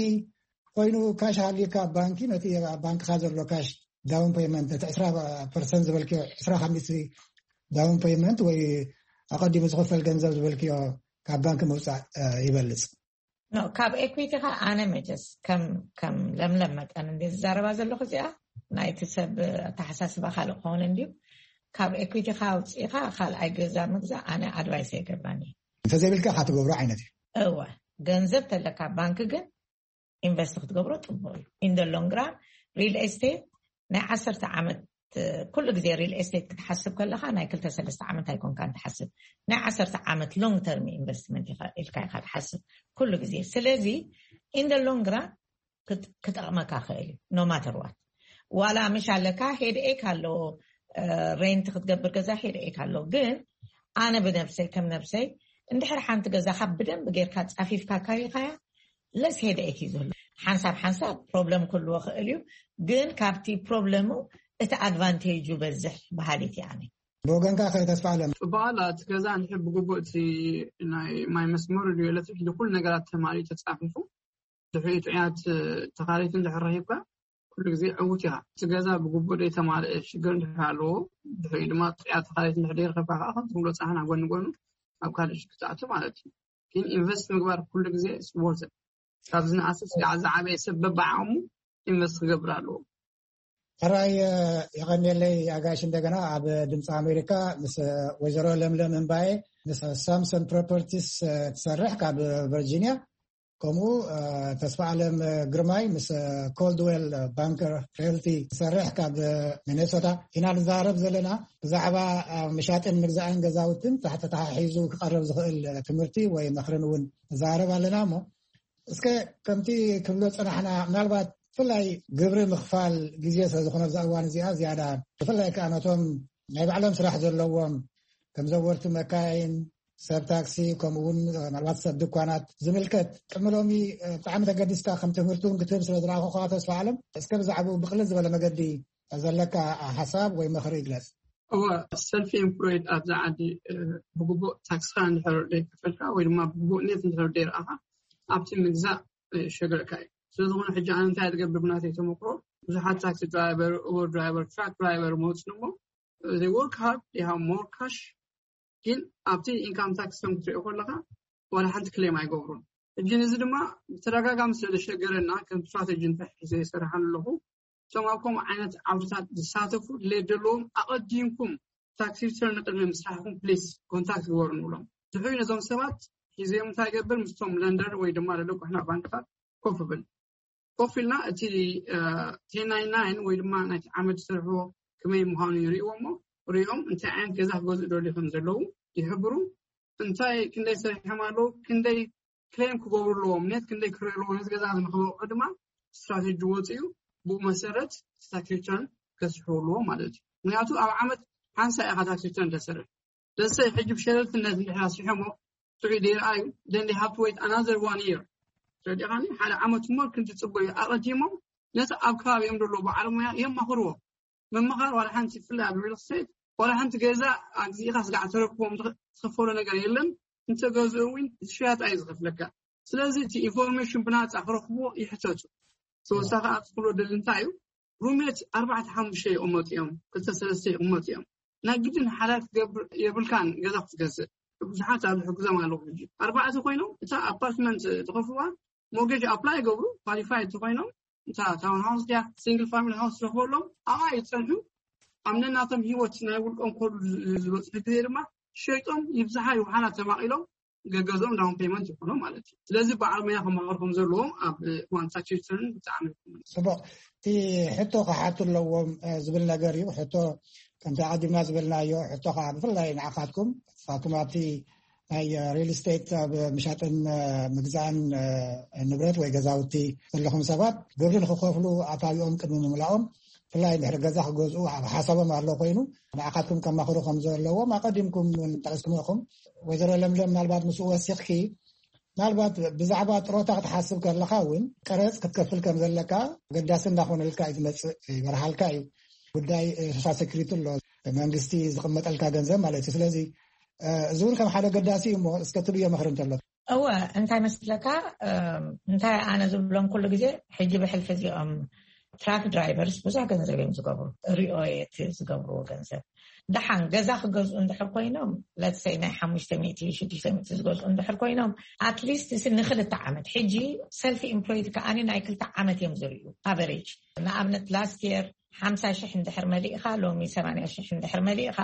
ኮይኑ ካሽ ሃሊካ ኣብ ባንኪ ነቲ ኣብ ባንክኻ ዘሎ ካሽ ዳውን ፔመንት ነቲ ዕስራ ፐርሰንት ዝበልክዮ ዕስራ ካብ ሚእቲ ዳውን ፔመንት ወይ ኣቐዲሙ ዝኽፈል ገንዘብ ዝበልክዮ ካብ ባንኪ ምውፃእ ይበልፅ። ኖ፣ ካብ ኤኩዊቲኻ ኣነ መቸስ ከም ከም ለምለም መጠን እንደ ዝዛረባ ዘለኹ እዚኣ ናይቲ ሰብ ኣተሓሳስባ ካልእ ክኸውን እንድዩ። ካብ ኤኩዊቲኻ ኣውፂእኻ ካልኣይ ገዛ ምግዛእ ኣነ ኣድቫይስ ኣይገብራን እየ። እንተዘይብልካ ኢኻ ትገብሮ ዓይነት እዩ። እወ፣ ገንዘብ ተለካ ባንክ ግን ኢንቨስት ክትገብሮ ፅቡቅ እዩ። ኢን ደ ሎንግ ራን ሪል ኤስቴት ናይ ዓሰርተ ዓመት፣ ኩሉ ግዜ ሪል ኤስቴት ክትሓስብ ከለካ ናይ ክልተ ሰለስተ ዓመት ኣይኮንካን ትሓስብ፣ ናይ ዓሰርተ ዓመት ሎንግ ተርም ኢንቨስትመንት ኢልካ ኢካ ትሓስብ ኩሉ ግዜ። ስለዚ ኢን ደ ሎንግ ራን ክጠቅመካ ክእል እዩ። ኖ ማተር ዋት ዋላ ምሽ ኣለካ ሄድ ኤክ ኣለዎ፣ ሬንት ክትገብር ገዛ ሄድ ኤክ ኣለዎ። ግን ኣነ ብነብሰይ ከም ነብሰይ እንድሕር ሓንቲ ገዛካ ብደንብ ጌርካ ፃፊፍካ ካሪካያ ለስ ሄድ ኤክ እዩ ዝህሉ። ሓንሳብ ሓንሳብ ፕሮብለም ክህልዎ ክእል እዩ፣ ግን ካብቲ ፕሮብለሙ እቲ ኣድቫንቴጁ በዝሕ በሃሊት እየ ኣነ። ብወገንካ ከ ተስፋ ኣለም? ጽቡቅ ኣላ። እቲ ገዛ እንድሕር ብግቡእ እቲ ናይ ማይ መስመሩ ድዩ ኤሌክትሪክ ንኩሉ ነገራት ተማሊኡ ተጻፊፉ ድሕሪኡ ጥዑያት ተኻረይቲ እንድሕር ረኺብካ ኩሉ ግዜ ዕዉት ኢኻ። እቲ ገዛ ብግቡእ ዘይተማልአ ሽግር እንድሕር ኣለዎ ድሕሪኡ ድማ ጥዑያት ተኻረይቲ እንድሕር ዘይረኸብካ ከዓ ከም ትብሎ ጸሓና ጎኒ ጎኑ ኣብ ካልእ ሽግር ትኣቱ ማለት እዩ። ግን ኢንቨስት ምግባር ኩሉ ግዜ ስፖርት ካብ ዝነኣሰ ስጋዕ ዝዓበየ ሰብ በብዓቕሙ ኢንቨስት ክገብር ኣለዎ። ሕራይ የቐንየለይ ኣጋሽ። እንደገና ኣብ ድምፂ ኣሜሪካ ምስ ወይዘሮ ለምለም እምባየ ምስ ሳምሰን ፕሮፐርቲስ ትሰርሕ ካብ ቨርጂኒያ፣ ከምኡ ተስፋ ኣለም ግርማይ ምስ ኮልድዌል ባንከር ሪልቲ ትሰርሕ ካብ ሚኔሶታ ኢና ንዛረብ ዘለና። ብዛዕባ ምሻጥን ምግዛእን ገዛውትን ተተሓሒዙ ክቐርብ ዝኽእል ትምህርቲ ወይ ምኽርን እውን ንዛረብ ኣለና። እሞ እስከ ከምቲ ክብሎ ጽናሕና፣ ምናልባት ብፍላይ ግብሪ ምኽፋል ግዜ ስለ ዝኾነ፣ ኣብዛ እዋን እዚኣ ዝያዳ ብፍላይ ከኣ ነቶም ናይ ባዕሎም ስራሕ ዘለዎም ከም ዘወርቲ መካይን፣ ሰብ ታክሲ፣ ከምኡ እውን ምናልባት ሰብ ድኳናት ዝምልከት ቅድሚ ሎሚ ብጣዕሚ ተገዲስካ ከም ትምህርቲ እውን ክትህብ ስለ ዝረኣኹኻ፣ ተስፋ ኣለም፣ እስከ ብዛዕባኡ ብቕልል ዝበለ መገዲ ዘለካ ሓሳብ ወይ ምኽሪ ይግለጽ። እወ፣ ሰልፊ ኤምፕሎይድ ኣብዛ ዓዲ ብግቡእ ታክስካ እንድሕር ዘይከፈልካ ወይ ድማ ብግቡእ ኔት እንድሕር ዘይረኣኻ፣ ኣብቲ ምግዛእ ይሸግረካ እዩ። ስለዝኾነ ሕጂ ኣነ እንታይ ዝገብር ብናተይ ተመክሮ፣ ብዙሓት ታክሲ ድራይቨር፣ ኡበር ድራይቨር፣ ትራክ ድራይቨር መውፅን እሞ፣ they work hard, they have more cash፣ ግን ኣብቲ ኢንካም ታክስ ከም ክትሪኦ ከለካ ዋላ ሓንቲ ክሌም ኣይገብሩን። ሕጂ ነዚ ድማ ብተደጋጋሚ ስለ ዘሸገረና ከም ስትራቴጂ እንታይ ሒዘ ይሰርሓሉ ኣለኹ፣ እቶም ኣብ ከምኡ ዓይነት ዓውድታት ዝሳተፉ ድሌት ዘለዎም ኣቐዲምኩም ታክስ ሪተርን ቅድሚ ምስራሕኩም ፕሊስ ኮንታክት ግበሩ ንብሎም። ድሕሪ ነዞም ሰባት ሒዘዮም እንታይ ገብር ምስቶም ለንደር ወይ ድማ ለለቁሕና ባንክታት ኮፍ ብል ኮፍ ኢልና እቲ ቴን ናይን ናይን ወይ ድማ ናይቲ ዓመት ዝሰርሕዎ ከመይ ምዃኑ ይርእዎ እሞ ሪኦም እንታይ ዓይነት ገዛ ክገዝኡ ደልዩ ከም ዘለዉ ይሕብሩ። እንታይ ክንደይ ሰሪሖም ኣለዉ፣ ክንደይ ክሌም ክገብሩ ኣለዎም፣ ኔት ክንደይ ክረዩ ኣለዎ፣ ነዚ ገዛ እዚ ንክበቅዑ ድማ ስትራቴጂ ወፅኡ። ብኡ መሰረት ታክስ ሪተርን ከስርሑ ኣለዎም ማለት እዩ። ምክንያቱ ኣብ ዓመት ሓንሳ ኢኻ ታክስ ሪተርን ተሰርሕ። ደሰይ ሕጂ ብሸለልትነት እንድሕር ኣስሪሖሞ ጥዑይ ደይረኣዩ፣ then they have to wait another one year። ተረዲኻኒ? ሓደ ዓመት ሞር ክንትፅበዩ ኣቐዲሞም ነቲ ኣብ ከባቢኦም ዘሎ በዓል ሞያ የማኽርዎ። ምምኻር ዋላ ሓንቲ፣ ብፍላይ ኣብ ሪል ስቴት ዋላ ሓንቲ ገዛ ኣግዚእኻ ስጋዕ ተረክቦም ትኸ- ትኸፈሎ ነገር የለን። እንተገዝኡ እውን ሽያጥ እዩ ዝኸፍለካ። ስለዚ እቲ ኢንፎርሜሽን ብናፃ ክረኽብዎ ይሕተቱ። ተወሳኺ ኣብ ዝኽብሎ ደሊ እንታይ እዩ፣ ሩሜት ኣርባዕተ ሓሙሽተ ይቕመጡ እዮም፣ ክልተ ሰለስተ ይቕመጡ እዮም። ናይ ግድን ሓዳር ክትገብር የብልካን ገዛ ክትገዝእ። ብዙሓት ኣብ ዝሕግዞም ኣለኹ። ሕጂ ኣርባዕተ ኮይኖም እታ ኣፓርትመንት ዝኸፍዋ ሞርጌጅ ኣፕላይ ይገብሩ፣ ኳሊፋይ እንተኮይኖም እታ ታውን ሃውስ ድያ ሲንግል ፋሚሊ ሃውስ ዝረኽበሎም ኣብኣ ይፀንሑ። ኣብ ነናቶም ህይወት ናይ ውልቆም ከሉ ዝበፅሑ ግዜ ድማ ሸይጦም ይብዝሓ ይውሓላ ተማቒሎም ገገዝኦም ዳውን ፔመንት ይኾኖም ማለት እዩ። ስለዚ በዓል ሞያ ከማኸርኩም ዘለዎም ኣብ እዋን ታክስ ሪተርን ብጣዕሚ ይኮኑ። ጽቡቕ። እቲ ሕቶ ክሓቱ ኣለዎም ዝብል ነገር እዩ። ሕቶ ከምቲ ኣቐዲምና ዝበልናዮ ሕቶ ከዓ ብፍላይ ንዓኻትኩም ንስኻትኩም ኣብቲ ናይ ሪል ስቴት ኣብ ምሻጥን ምግዛእን ንብረት ወይ ገዛውቲ ዘለኹም ሰባት ግብሪ ንክከፍሉ ኣታዊኦም ቅድሚ ምምላኦም ብፍላይ ድሕሪ ገዛ ክገዝኡ ኣብ ሓሳቦም ኣሎ ኮይኑ ንዓኻትኩም ከማኽሩ ከም ዘለዎም ኣቐዲምኩም እውን ጠቂስኩም ኢኹም። ወይዘሮ ለምለም ምናልባት ምስኡ ወሲኽኪ ምናልባት ብዛዕባ ጥሮታ ክትሓስብ ከለኻ እውን ቀረፅ ክትከፍል ከም ዘለካ ገዳሲ እንዳኾነልካ እዩ ዝመፅእ ይበርሃልካ እዩ። ጉዳይ ሶሻል ሴኩሪቲ ኣሎ መንግስቲ ዝቕመጠልካ ገንዘብ ማለት እዩ። ስለዚ እዚ እውን ከም ሓደ ገዳሲ እዩ እሞ እስከ ትብዮ ምኽሪ እንተሎ። እወ እንታይ መስለካ እንታይ ኣነ ዝብሎም ኩሉ ግዜ ሕጂ ብሕልፊ እዚኦም ትራክ ድራይቨርስ ብዙሕ ገንዘብ እዮም ዝገብሩ ሪኦየት ዝገብርዎ ገንዘብ ደሓን ገዛ ክገዝኡ እንድሕር ኮይኖም ለትሰይ ናይ ሓሙሽተ ሚእቲ ሽዱሽተ ሚእቲ ዝገዝኡ እንድሕር ኮይኖም ኣትሊስት ስ ንክልተ ዓመት ሕጂ ሰልፊ ኢምፕሎይድ ከኣኒ ናይ ክልተ ዓመት እዮም ዝርእዩ ኣቨሬጅ ንኣብነት ላስት የር ሓምሳ ሽሕ እንድሕር መሊእኻ ሎሚ ሰማንያ ሽሕ እንድሕር መሊእኻ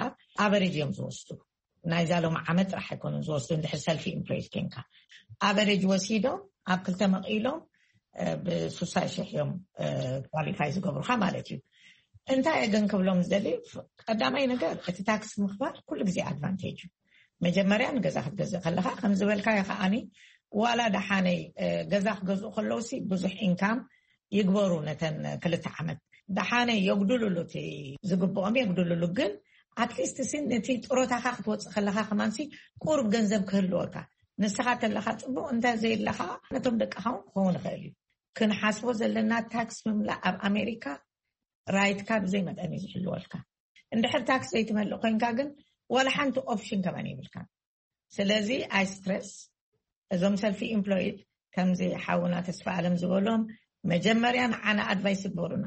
ኣቨሬጅ እዮም ዝወስዱ ናይዛ ሎም ዓመት ጥራሕ ኣይኮኑን ዝወስዱ እንድሕር ሰልፊ ኢምፕሎይድ ኮንካ ኣቨሬጅ ወሲዶም ኣብ ክልተ መቒሎም ብሱሳ ሽሕ እዮም ኳሊፋይ ዝገብሩካ ማለት እዩ እንታይ እየ ግን ክብሎም ዝደሊ ቀዳማይ ነገር እቲ ታክስ ምኽባር ኩሉ ግዜ ኣድቫንቴጅ እዩ መጀመርያ ንገዛ ክትገዝእ ከለካ ከም ዝበልካዮ ከዓኒ ዋላ ደሓነይ ገዛ ክገዝኡ ከለውሲ ብዙሕ ኢንካም ይግበሩ ነተን ክልተ ዓመት ደሓነይ የጉድልሉ እቲ ዝግብኦም የጉድልሉ ግን ኣትሊስት ሲ ነቲ ጥሮታኻ ክትወፅእ ከለካ ከማንሲ ቁሩብ ገንዘብ ክህልወካ ንስኻ ተለኻ ፅቡቅ እንተ ዘየለኻ ነቶም ደቅኻ እውን ክኸውን ይኽእል እዩ ክንሓስቦ ዘለና ታክስ ምምላእ ኣብ ኣሜሪካ ራይትካ ብዘይ መጠን እዩ ዝሕልወልካ እንድሕር ታክስ ዘይትመልእ ኮይንካ ግን ዋላ ሓንቲ ኦፕሽን ከማን የብልካ ስለዚ ኣይ ስትረስ እዞም ሰልፊ ኢምፕሎይድ ከምዚ ሓውና ተስፋ ኣለም ዝበሎም መጀመርያ ንዓና ኣድቫይስ ይግበሩና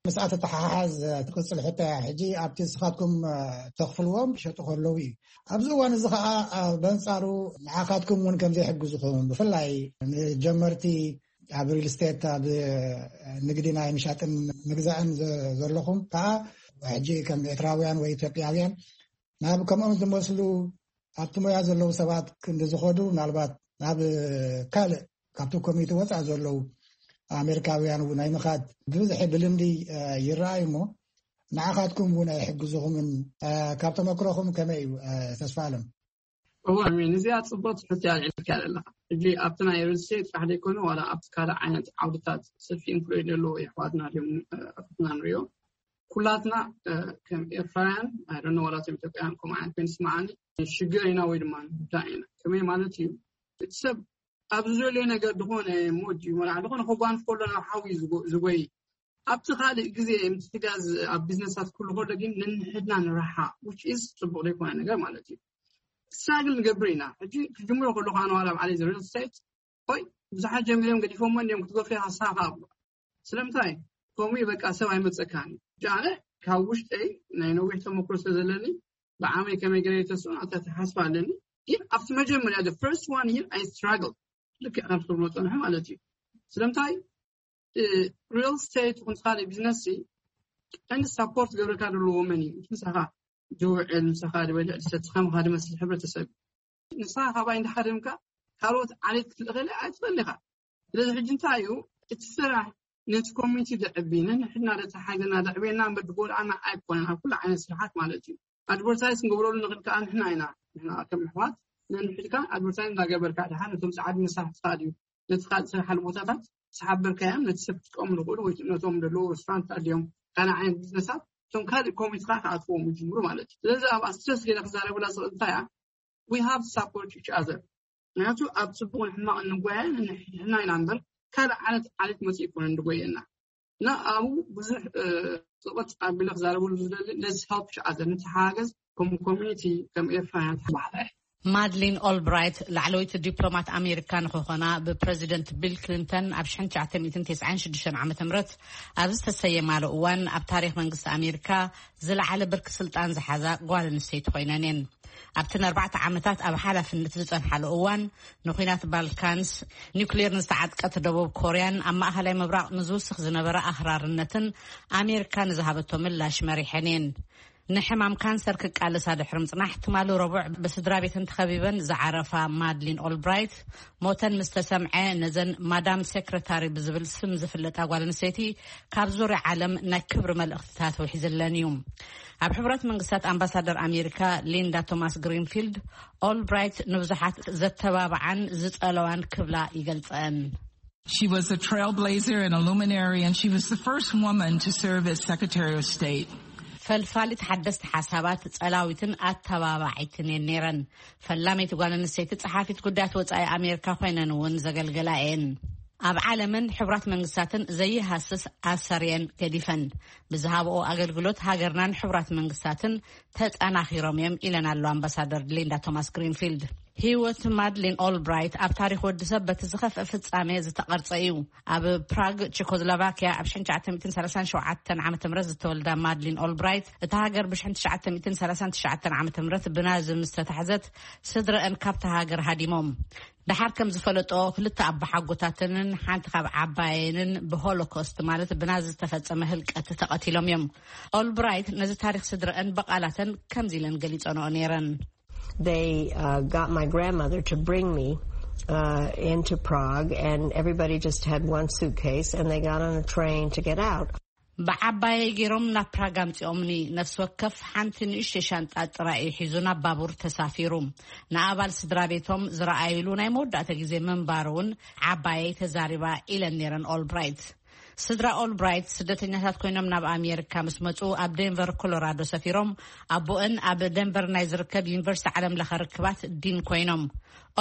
ምስኣ ተተሓሓዝ ትቅፅል ሕቶ ሕጂ ኣብቲ ንስኻትኩም ተኽፍልዎም ይሸጡ ከለዉ እዩ ኣብዚ እዋን እዚ ከዓ በንፃሩ ንዓኻትኩም እውን ከምዘይሕግዝኹም ብፍላይ ንጀመርቲ ኣብ ሪል ስቴት ኣብ ንግዲ ናይ ምሻጥን ምግዛእን ዘለኹም ከዓ ሕጂ ከም ኤርትራውያን ወይ ኢትዮጵያውያን ናብ ከምኦም ዝመስሉ ኣብቲ ሞያ ዘለዉ ሰባት ክንዲ ዝኸዱ ምናልባት ናብ ካልእ ካብቲ ኮሚኒቲ ወፃእ ዘለዉ ኣሜሪካውያን ናይ ምኻድ ብብዝሒ ብልምዲ ይረኣዩ እሞ ንዓኻትኩም እውን ኣይሕግዝኹምን ካብ ተመክሮኹም ከመይ እዩ ተስፋ ኣለም እዋ፣ ኣሜን። እዚኣ ጽቡቕ ትሕቲ ኣልዒልካ ኣለኻ። ሕጂ ኣብቲ ናይ ሪል ስቴት ጥራሕ ዘይኮነ፣ ዋላ ኣብቲ ካልእ ዓይነት ዓውድታት ሰፊ ኢንፍሉዌንስ ዘለዎ የሕዋትና ድዮም፣ እ፣ ኣፍትና ንሪኦ። ኩላትና፣ እ፣ ከም ኤርትራውያን፣ ኣይ ዶንት ኖ፣ ዋላ እቶም ኢትዮጵያውያን ከምኡ ዓይነት ኮይኑ ይስምዓኒ፣ ሽግር ኢና ወይ ድማ ንጉዳእ ኢና። ከመይ ማለት እዩ? እቲ ሰብ ኣብ ዝደልዮ ነገር ዝኾነ ሞድ እዩ፣ መርዓ ዝኾነ ከጓንፍ ከሎ ናብ ሓዊ ዝጎ-፣ ዝጎይ። ኣብቲ ካልእ ግዜ፣ ምስቲ ጋዝ ኣብ ቢዝነሳት ኩሉ ከሎ ግን፣ ነንሕድና ንረሓ፣ which is ጽቡቕ ዘይኮነ ነገር ማለት እዩ። ስትራግል ንገብር ኢና። ሕጂ ክጅምሮ ከለኹ፣ ኣነ ዋላ ባዕለይ ሪል ስቴት፣ ሆይ፣ ብዙሓት ጀሚሮም ገዲፎሞ እንዲዮም፣ ክትገፍዮ ሃሳኻ ኣብሎ። ስለምንታይ? ከምኡ እዩ፣ በቃ፣ ሰብ ኣይመጸካን እዩ። ሕጂ ኣነ ካብ ውሽጠይ ናይ ነዊሕ ተመክሮ ስለ ዘለኒ፣ ብዓመይ ከመይ ገለ ተስኡ፣ ኣታ ተሓስባ ኣለኒ። ግን ኣብቲ መጀመርያ፣ the first one year፣ I struggle። ልክዕ ከም ትብሎ ጸንሑ ማለት እዩ። ስለምንታይ? እ፣ ሪል ስቴት ይኹን ካልእ ቢዝነስ ሲ፣ ቀንዲ ሳፖርት ገብረካ ዘለዎ መን እዩ? ምሳኻ ዝውዕል፣ ምሳኻ ዝበልዕ ዝሰቲ፣ ከማኻ ዝመስል ሕብረተሰብ። ንስኻ ካባይ እንዳሃደምካ ካልኦት ዓሌት ክትልእኸለ ኣይትኽእል ኢኻ። ስለዚ ሕጂ እንታይ እዩ እቲ ስራሕ? ነቲ ኮሚኒቲ ዘዕቢ፣ ነንሕድና ዘተሓሕዘና፣ ዘዕብየና እምበር ዝጎድኣና ኣይኮነን፣ ኣብ ኩሉ ዓይነት ስራሓት ማለት እዩ። ኣድቨርታይዝ ክንገብረሉ ንኽእል ከኣ ንሕና ኢና። ንሕና ከም ኣሕዋት ነንሕድካ ኣድቨርታይዝ እንዳገበርካ፣ ድሓር ነቶም ጻዕዲ መሳርሕትኻ ድዩ፣ ነቲ ካልእ ስራሓሉ ቦታታት ዝሓበርካዮም፣ ነቲ ሰብ ክጥቀሙ ዝኽእሉ ወይ ነቶም ዘለዉ ሬስቶራንት ድዮም፣ ካልእ ዓይነት ቢዝነሳት፣ እቶም ካልእ ኮሚኒቲኻ ክኣትዎም ይጅምሩ ማለት እዩ። ስለዚ ኣብኣ ስትረስ ገይረ ክዛረበላ ዝኽእል እንታይ እያ? We have to support each other። ምክንያቱ ኣብ ጽቡቕን ሕማቕን ንጓየ ንሕና ኢና እምበር፣ ካልእ ዓይነት ዓሌት መጽኡ ኣይኮነን ዝጎየና። እና ኣብኡ ብዙሕ፣ እ፣ ጽቕጥ ኣቢለ ክዛረበሉ ዝደሊ፣ let's help each other፣ ንተሓጋገዝ፣ ከም ኮሚኒቲ፣ ከም ኤርትራውያን ተባህለ። ማድሊን ኦልብራይት ላዕለወይቲ ዲፕሎማት ኣሜሪካ ንክኾና ብፕረዚደንት ቢል ክሊንተን ኣብ ሽሕን ትሽዓተ ሚእትን ተስዓን ሽዱሽተን ዓመተ ምህረት ኣብ ዝተሰየማሉ እዋን፣ ኣብ ታሪኽ መንግስቲ ኣሜሪካ ዝለዓለ ብርኪ ስልጣን ዝሓዛ ጓል ኣንስተይቲ ኮይነን እየን። ኣብተን ኣርባዕተ ዓመታት ኣብ ሓላፍነት ዝጸንሓሉ እዋን፣ ንኲናት ባልካንስ፣ ኒውክሌር ንዝተዓጥቀት ደቡብ ኮርያን ኣብ ማእኸላይ ምብራቕ ንዝውስኽ ዝነበረ ኣኽራርነትን ኣሜሪካ ንዝሃበቶ ምላሽ መሪሐን እየን። ንሕማም ካንሰር ክቃለሳ ድሕሪ ምጽናሕ፣ ትማሊ ረቡዕ ብስድራ ቤተን ተኸቢበን ዝዓረፋ ማድሊን ኦልብራይት፣ ሞተን ምስ ተሰምዐ፣ ነዘን ማዳም ሴክረታሪ ብዝብል ስም ዝፍለጣ ጓል ኣንስተይቲ ካብ ዙርያ ዓለም ናይ ክብሪ መልእኽትታት ውሒዝለን እዩ። ኣብ ሕቡራት መንግስታት ኣምባሳደር ኣሜሪካ ሊንዳ ቶማስ ግሪንፊልድ፣ ኦልብራይት ንብዙሓት ዘተባብዓን ዝጸለዋን ክብላ ይገልጸን። She was a trailblazer and a luminary, and she was the first woman to serve as Secretary of State. ፈልፋሊት ሓደስቲ ሓሳባት፣ ጸላዊትን ኣተባባዒትን እየን ነይረን። ፈላመይቲ ጓል ኣንስተይቲ ጸሓፊት ጉዳያት ወጻኢ ኣሜሪካ ኮይነን እውን ዘገልገላ እየን። ኣብ ዓለምን ሕቡራት መንግስታትን ዘይሃስስ ኣሰር እየን ገዲፈን። ብዝሃብኦ ኣገልግሎት ሃገርናን ሕቡራት መንግስታትን ተጠናኺሮም እዮም ኢለን ኣሎ ኣምባሳደር ሊንዳ ቶማስ ግሪንፊልድ። ህይወት ማድሊን ኦልብራይት ኣብ ታሪኽ ወዲ ሰብ በቲ ዝኸፍአ ፍጻሜ ዝተቐርጸ እዩ። ኣብ ፕራግ፣ ቸኮስሎቫኪያ ኣብ ሽሕን ትሽዓተ ሚእትን ሰላሳን ሸውዓተን ዓመተ ምህረት ዝተወልዳ ማድሊን ኦልብራይት፣ እታ ሃገር ብሽሕን ትሽዓተ ሚእትን ሰላሳን ትሽዓተን ዓመተ ምህረት ብናዚ ምስ ተታሕዘት፣ ስድረአን ካብታ ሃገር ሃዲሞም። ደሓር ከም ዝፈለጦ፣ ክልተ ኣቦሓጎታተንን ሓንቲ ካብ ዓባየንን ብሆሎኮስት፣ ማለት ብናዚ ዝተፈጸመ ህልቀት፣ ተቐቲሎም እዮም። ኦልብራይት ነዚ ታሪኽ ስድረአን ብቓላተን ከምዚ ኢለን ገሊጸንኦ ነይረን። They uh, got my grandmother to bring me uh, into Prague, and everybody just had one suitcase, and they got on a train to get out. ብዓባየይ ገይሮም ናብ ፕራግ ኣምጺኦምኒ። ነፍሲ ወከፍ ሓንቲ ንእሽተይ ሻንጣ ጥራይ እዩ ሒዙ ናብ ባቡር ተሳፊሩ። ንኣባል ስድራ ቤቶም ዝረኣይሉ ናይ መወዳእታ ግዜ ምንባሩ እውን ዓባየይ ተዛሪባ ኢለን ነይረን ኦልብራይት። ስድራ ኦልብራይት ስደተኛታት ኮይኖም ናብ ኣሜሪካ ምስ መጹ፣ ኣብ ዴንቨር ኮሎራዶ ሰፊሮም። ኣቦአን ኣብ ዴንቨር ናይ ዝርከብ ዩኒቨርሲቲ ዓለም ለኸ ርክባት ዲን ኮይኖም።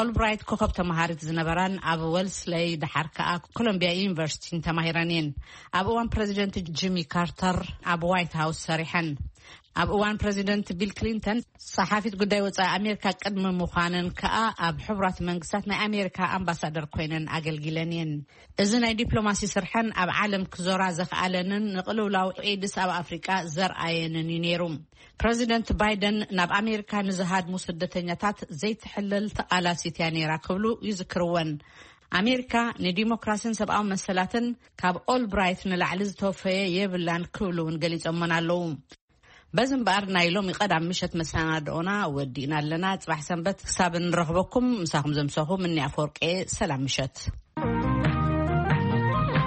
ኦልብራይት ኮኸብ ተማሃሪት ዝነበራን ኣብ ወልስለይ፣ ደሓር ከኣ ኮሎምቢያ ዩኒቨርሲቲን ተማሂረን እየን። ኣብ እዋን ፕረዚደንት ጂሚ ካርተር ኣብ ዋይት ሃውስ ሰሪሐን። ኣብ እዋን ፕረዚደንት ቢል ክሊንተን ጸሓፊት ጉዳይ ወጻኢ ኣሜሪካ ቅድሚ ምዃነን ከኣ፣ ኣብ ሕቡራት መንግስታት ናይ ኣሜሪካ ኣምባሳደር ኮይነን ኣገልጊለን እየን። እዚ ናይ ዲፕሎማሲ ስርሐን ኣብ ዓለም ክዞራ ዘኽኣለንን ንቕልውላው ኤድስ ኣብ ኣፍሪቃ ዘርኣየንን እዩ ነይሩ። ፕረዚደንት ባይደን ናብ ኣሜሪካ ንዝሃድሙ ስደተኛታት ዘይትሕለል ተቓላሲት እያ ነይራ ክብሉ ይዝክርወን። ኣሜሪካ ንዲሞክራሲን ሰብኣዊ መሰላትን ካብ ኦልብራይት ንላዕሊ ዝተወፈየ የብላን ክብሉ እውን ገሊጾመን ኣለዉ። በዚ እምበኣር ናይ ሎሚ ቀዳም ምሸት መሰናድኦና ወዲእና ኣለና። ጽባሕ ሰንበት ክሳብ እንረኽበኩም፣ ምሳኹም ዘምሰኹ ምኒ ኣፈወርቄ። ሰላም ምሸት።